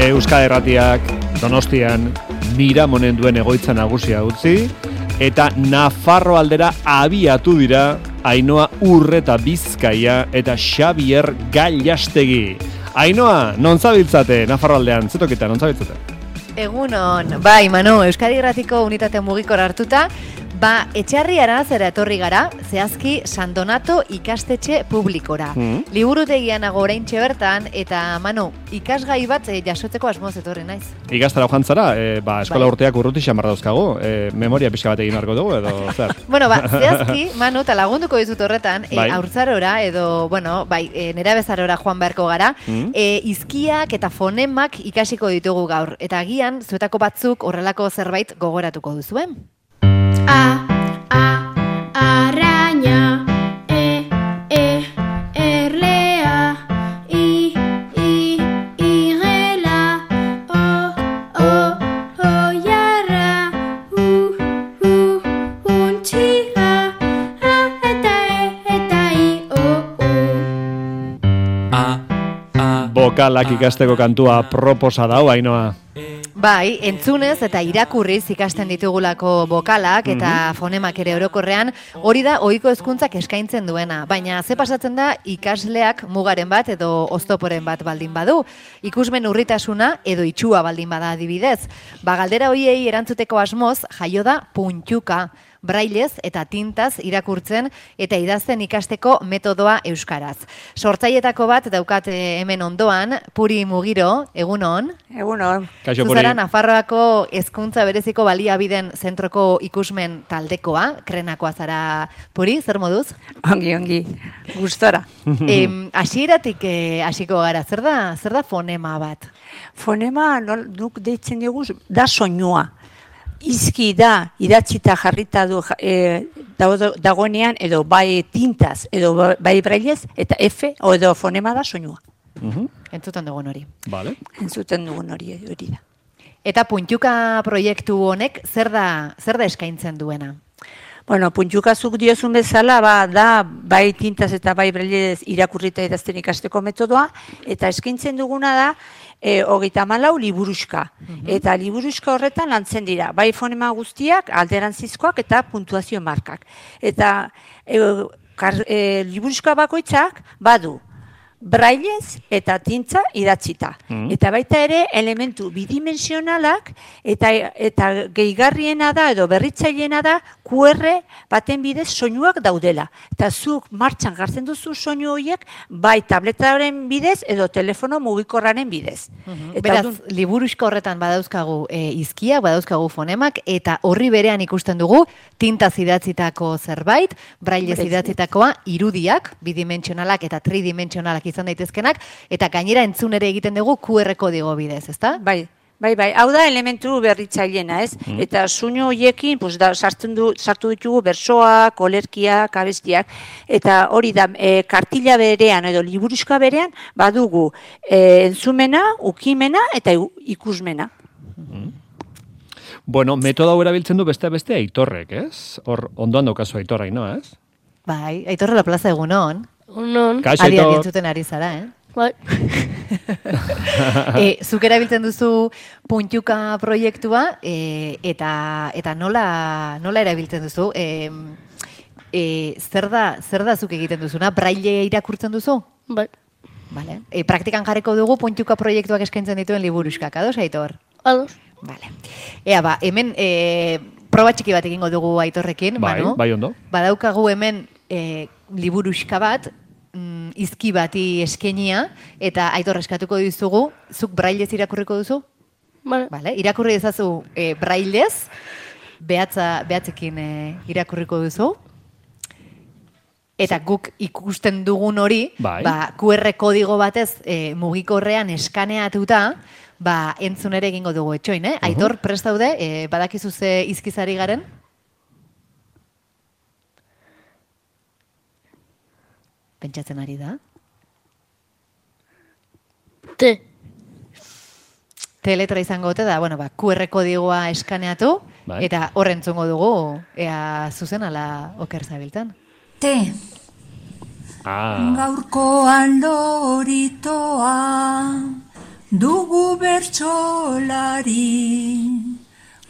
Euskal Herratiak Donostian Miramonen duen egoitza nagusia utzi, eta Nafarro aldera abiatu dira Ainhoa Urreta Bizkaia eta Xabier Gallastegi. Ainhoa, non zabiltzate Nafarro aldean? Zetoketa, non zabiltzate? Egunon, bai, Manu, Euskadi Irratiko unitate mugikor hartuta, etxarri aranazera etorri gara, zehazki San Donato ikastetxe publikora. Liburutegian nago oraintxe bertan, eta Manu, ikasgai bat jasotzeko asmoz etorri naiz. Ikastara joantzara, eskola urteak urruti xamar dauzkago, memoria pixka bat egin arko dugu, edo zer? Bueno, zehazki, Manu, eta lagunduko dizut horretan, haurtzarora, edo, nera bezarora joan beharko gara, izkiak eta fonemak ikasiko ditugu gaur, eta agian, zuetako batzuk horrelako zerbait gogoratuko duzuen. Araña, erlea, igela, oiarra, untxiga, eta Bokalak ikasteko kantua proposa dau, Ainhoa. Bai, entzunez eta irakurriz ikasten ditugulako bokalak eta fonemak ere orokorrean, hori da ohiko hezkuntzak eskaintzen duena. Baina ze pasatzen da ikasleak mugaren bat edo oztoporen bat baldin badu. Ikusmen urritasuna edo itxua baldin bada adibidez. Galdera hoiei erantzuteko asmoz jaio da puntuka. Brailez eta tintaz irakurtzen eta idazten ikasteko metodoa euskaraz. Sortzailetako bat daukat hemen ondoan, Puri Mugiro, egunon. Egunon. Kaixo, Puri. Zuzara Nafarroako hezkuntza bereziko baliabideen zentroko ikusmen taldekoa, krenakoa zara, Puri, zer moduz? Ongi, gustora. Hasieratik hasiko gara, zer da fonema bat? Fonema, nuk deitzen dugu, da soinua. Izki da, idatzita jarrita du dagoenean, edo bai tintaz, edo bai brailez, eta F, edo fonema da soinua. Entzuten dugun hori. Vale. Entzuten dugun hori da. Eta puntuka proiektu honek zer da eskaintzen duena? Bueno, puntukazuk diozun bezala, da bai tintaz eta bai brailez irakurrita idazten ikasteko metodoa, eta eskaintzen duguna da, 34 liburuxka. Eta liburuxka horretan lantzen dira, bai fonema guztiak, alderantzizkoak eta puntuazio markak. Eta liburuxka bakoitzak badu brailez eta tintza idatzita. Eta baita ere elementu bidimensionalak eta gehigarriena da edo berritzaileena da QR baten bidez soinuak daudela. Eta zuk martxan gartzen duzu soinu horiek bai tabletaren bidez edo telefono mugikorraren bidez. Beraz, liburuxko horretan badauzkagu izkiak, badauzkagu fonemak, eta horri berean ikusten dugu tintaz idatzitako zerbait, brailez idatzitakoa, irudiak, bidimentsionalak eta tridimentsionalak izan daitezkenak, eta gainera entzun ere egiten dugu QR kodigo bidez, ezta? Bai. Hau da elementu berritzailena, ez? Eta soinu horiekin sartu ditugu bersoak, olerkiak, abestiak, eta hori da kartila berean edo liburuxka berean badugu entzumena, ukimena eta ikusmena. Bueno, metodo hau erabiltzen du beste Aitorrek, ez? Hor ondoan daukazu Aitorra, Ainhoa, ez? Bai, Aitorre la plaza egunon. Egunon. Kaixo, Adian Aitor. entzuten ari zara, Bai. Zuk erabiltzen duzu puntuka proiektua, eta nola erabiltzen duzu? Zer da zuk egiten duzuna? Braille irakurtzen duzu? Bai. Vale. Praktikan jarriko dugu puntuka proiektuak eskaintzen dituen liburuxkak, ados, Aitor? Ados. Vale. Hemen proba txiki bat egingo dugu Aitorrekin, Manu. Bai, ondo. Badaukagu hemen liburuxka bat, izki bati eskenia, eta Aitor eskatuko dizugu, zuk brailez irakurriko duzu? Vale. Irakurri ezazu brailez, behatzekin irakurriko duzu, eta guk ikusten dugun hori, QR kodigo batez mugikorrean eskaneatuta, entzun ere egingo dugu etxoin, Aitor, prest daude, badakizu ze izkizari garen? Pentsatzen ari da? Letra izango ote da, QR kodigoa eskaneatu, eta horren entzungo dugu, ea zuzen ala oker zabiltan. Gaurkoan loritoa dugu bertsolari,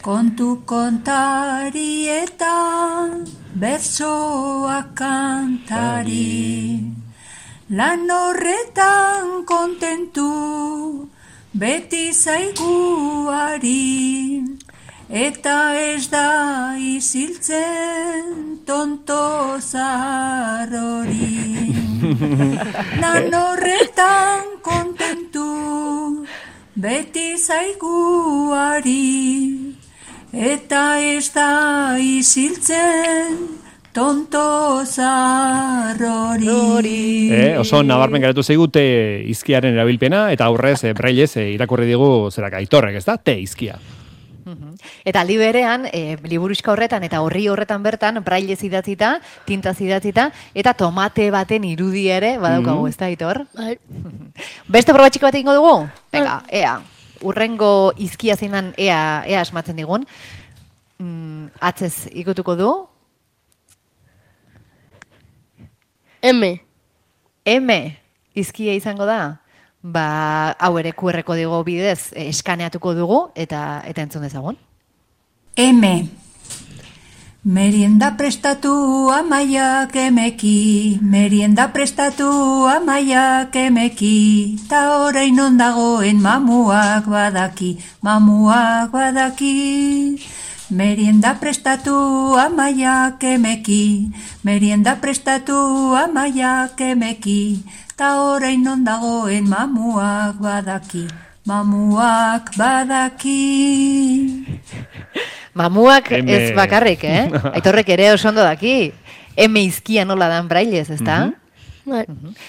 kontu kontari eta bertsoak kantari. Lan horretan kontentu, beti zaiguari, eta ez da iziltzen tonto zarrori. Lan horretan kontentu, beti zaiguari, eta ez da iziltzen tonto zarrori. Oso nabarmen geratu zaigu te izkiaren erabilpena, eta aurrez brailez irakurri digu zerak Aitorrek, ez da? Te izkia. Eta aldi berean, liburuxka horretan eta horri horretan bertan, brailez idatzita, tintaz idatzita, eta tomate baten irudi ere, badaukagu, ez da, Aitor? Beste probatxiko bat egingo dugu? Venga, ea, urrengo izkia zeinan ea asmatzen digun. Atzez ikutuko du? M. Izkia izango da? Hau ere QR kodigo bidez eskaneatuko dugu eta entzun dezagun. M. Merienda prestatu amaiak emeki, merienda prestatu amaiak emeki, ta orain ondagoen mamuak badaki. Merienda prestatu amaiak emeki, merienda prestatu amaiak emeki, ta orain ondagoen mamuak badaki. Mamuak ez bakarrik, Aitorrek ere oso ondo daki. M izkia nola dan brailez, ezta?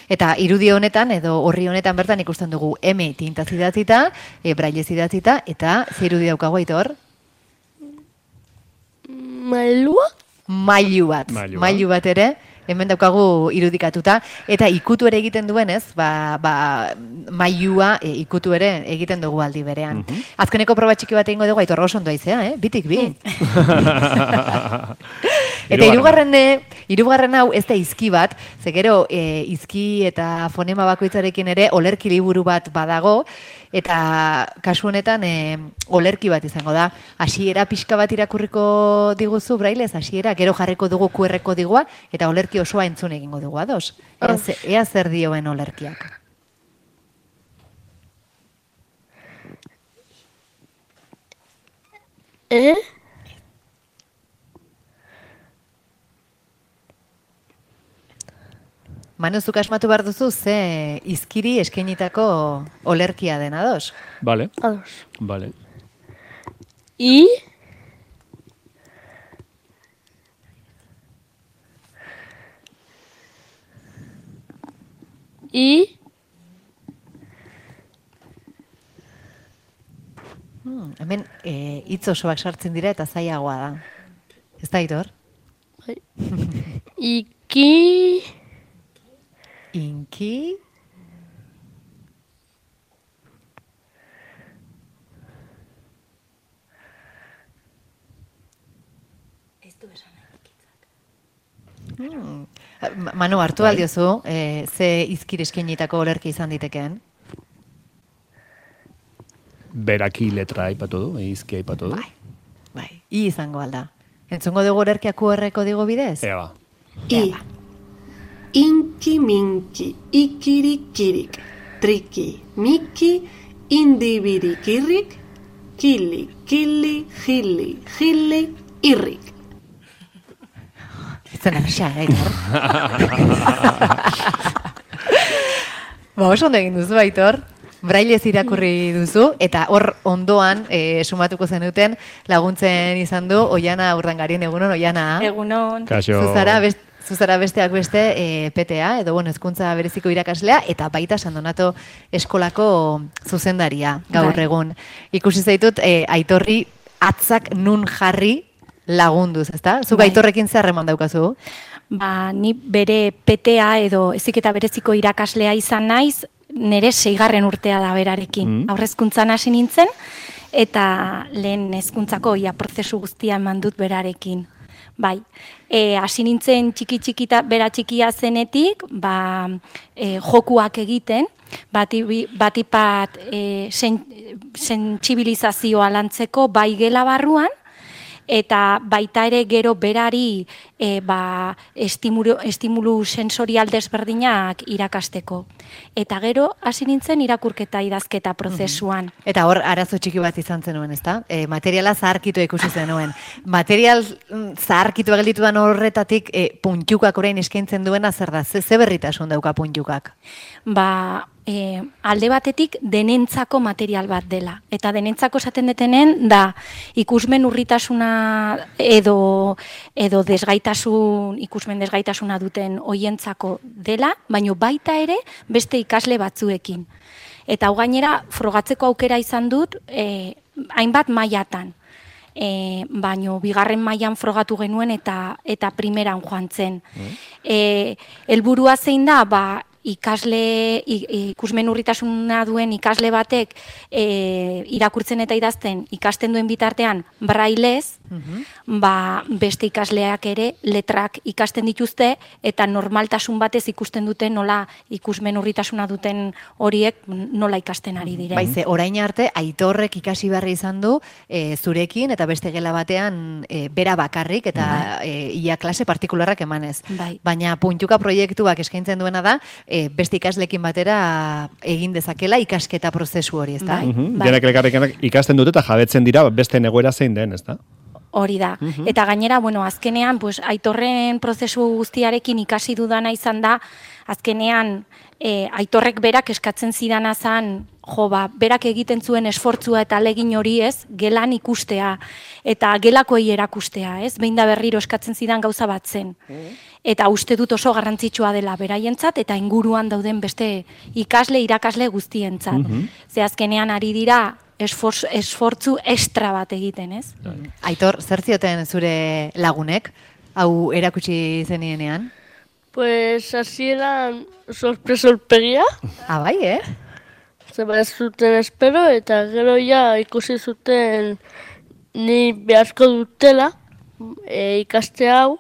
Eta irudi honetan edo horri honetan bertan ikusten dugu M tintaz idatzita, brailez idatzita, eta ze irudi daukagu, Aitor? Mailu bat ere, hemen daukagu irudikatuta, eta ikutu ere egiten duenez, mailua ikutu ere egiten dugu aldi berean. Azkeneko proba txiki bat egingo dugu, Aitor oso ondo aizea, bitik bi. Eta hirugarren hau ez da izki bat, ze gero izki eta fonema bakoitzarekin ere olerki liburu bat badago, eta kasu honetan olerki bat izango da. Hasiera pixka bat irakurriko diguzu brailez, hasiera, gero jarriko dugu QR kodigua, eta olerki osoa entzun egingo dugu, ados? Ea zer dioen olerkiak. Manu, zuk asmatu behar duzu, ze izkiri eskainitako olerkia den, ados? Vale. Ados. Vale. I. Hemen hitz osoak sartzen dira eta zailagoa da. Ez da, Aitor? Iki. Inki. Ez du esan ikitzak. Manu, hartu aldiozu, ze izkir eskainitako olerki izan ditekeen? Beraki letra aipatu du, izki aipatu du. Bai, I izango alda. Entzungo dugu olerkia QR kodigo bidez? Eba. I. Inki minki, ikirikirik, triki, miki, indibirikirik, kili, kili, jili, irrik. Zen arxa, Aitor. Oso ondo egin duzu, Aitor. Brailez irakurri duzu, eta hor ondoan sumatuko zenuten laguntzen izan du Oiana Urdangarien. Egunon, Oiana? Egunon. Kaixo. Zuzara besteak beste PTA, edo hezkuntza bereziko irakaslea, eta baita San Donato eskolako zuzendaria gaur egun. Ikusi zaitut, Aitorri atzak nun jarri lagunduz, ezta? Zuk Aitorrekin zer harreman daukazu? Ni bere PTA edo heziketa bereziko irakaslea izan naiz, nire 6. urtea da berarekin. Aurrezkuntzan hasi nintzen, eta lehen hezkuntzako prozesu guztia eman dut berarekin. Bai, hasi nintzen txiki-txikita, bera txikia zenetik, jokuak egiten, batipat sentsibilizazioa lantzeko bai gela barruan, eta baita ere gero berari estimulu sensorial desberdinak irakasteko. Eta gero hasi nintzen irakurketa idazketa prozesuan. Eta hor arazo txiki bat izan zenuen, ezta? Materiala zaharkitu ikusi zenuen. Material zaharkitu gelditu dan horretatik puntukak orain eskaintzen duena zer da? Ze berritasun dauka puntukak? Alde batetik denentzako material bat dela. Eta denentzako esaten detenen da ikusmen urritasuna edo ikusmen desgaitasuna duten hoientzako dela, baino baita ere beste ikasle batzuekin. Eta hau gainera frogatzeko aukera izan dut hainbat mailatan. Baino bigarren mailan frogatu genuen eta primeran joan zen. Helburua zein da, ikusmen urritasuna duen ikasle batek irakurtzen eta idazten ikasten duen bitartean brailez, beste ikasleak ere letrak ikasten dituzte eta normaltasun batez ikusten dute nola ikusmen urritasuna duten horiek nola ikasten ari diren. Baize, orain arte Aitorrek ikasi berri izan du zurekin eta beste gela batean bera bakarrik eta ia klase partikularrak emanez. Baina puntuka proiektuak eskaintzen duena da beste ikaslekin batera egin dezakela ikasketa prozesu hori, ezta? Denak elkarrekin ikasten dute eta jabetzen dira beste egoera zein den, ezta? Hori da. Eta gainera, azkenean, Aitorren prozesu guztiarekin ikasi dudana izan da, azkenean Aitorrek berak eskatzen zidana zan, berak egiten zuen esfortzua eta alegin hori gelan ikustea eta gelakoei erakustea, behin da berriro eskatzen zidan gauza bat zen. Eta uste dut oso garrantzitsua dela beraientzat eta inguruan dauden beste irakasle guztientzat. Ze azkenean ari dira esfortzu extra bat egiten, ez? Aitor, zer zioten zure lagunek, hau erakutsi zenienean? Pues hasieran sorpresolpegia. Bai, Zeba ez zuten espero eta gero ja ikusi zuten ni beharko dutela ikaste hau.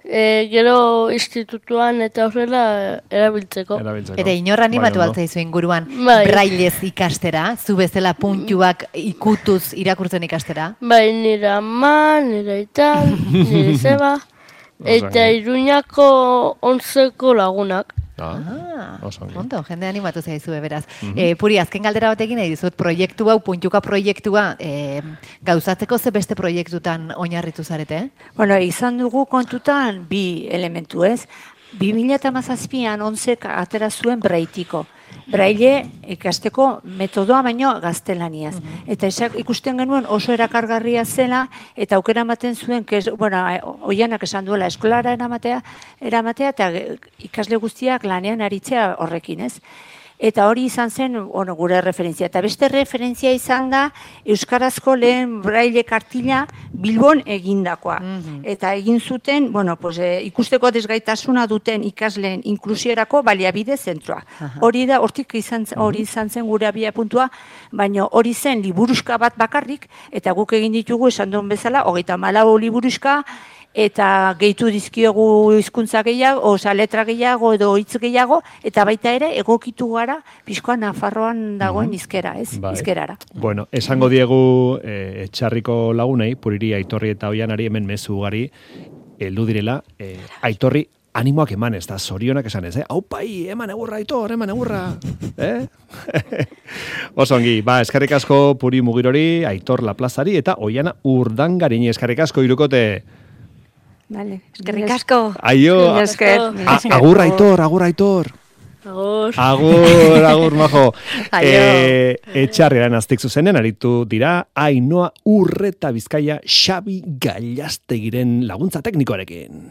Gero institutuan eta horrela erabiltzeko. Eta inor animatu altzaizu inguruan brailez ikastera, zu bezala puntuak ikutuz irakurtzen ikastera? Bai, nire ama, nire aita, nire zeba, eta Iruñako 11ko lagunak. Ondo, jende animatu zaizu beraz. Puri, azken galdera batekin nahi dizut, proiektu hau, puntuka proiektua, gauzatzeko ze beste proiektutan oinarritu zarete? Bueno, izan dugu kontutan bi elementu, ez? 2017an 11 atera zuen braitiko. Braille ikasteko metodoa baino gaztelaniaz. Eta ikusten genuen oso erakargarria zela eta aukera ematen zuen, oianak esan duela eskolara eramatea eta ikasle guztiak lanean aritzea horrekin, ez? Eta hori izan zen gure referentzia. Eta beste referentzia izan da euskarazko lehen braille kartila Bilbon egindakoa. Eta egin zuten, ikusteko desgaitasuna duten ikasleen inklusiorako baliabide zentroa. Hori da, hortik izan zen gure abia puntua, baina hori zen liburuska bat bakarrik, eta guk egin ditugu esan duen bezala, 34 liburuska, eta gehitu dizkiogu hizkuntza gehiago, letra gehiago edo hitz gehiago, eta baita ere egokitu gara pixkoa Nafarroan dagoen hizkera, ez? Hizkerara. Bueno, esango diegu Etxarriko lagunei, Puriri, Aitorri eta Oianari hemen mezu ugari heldu direla, Aitorri animoak eman ez da, zorionak esan ez, Aupai, eman egurra, Aitor, eman egurra, Osongi, eskerrik asko Puri Mugirori, Aitor Laplazari eta Oiana Urdangarini, eskerrik asko irukote. Vale, eskerrik asko. Aio. Agur Aitor, agur Aitor. Agur, majo. Etxarrean aztik zuzenen aritu dira Ainhoa Urreta Bizkaia Xabi Gallastegiren laguntza teknikoarekin.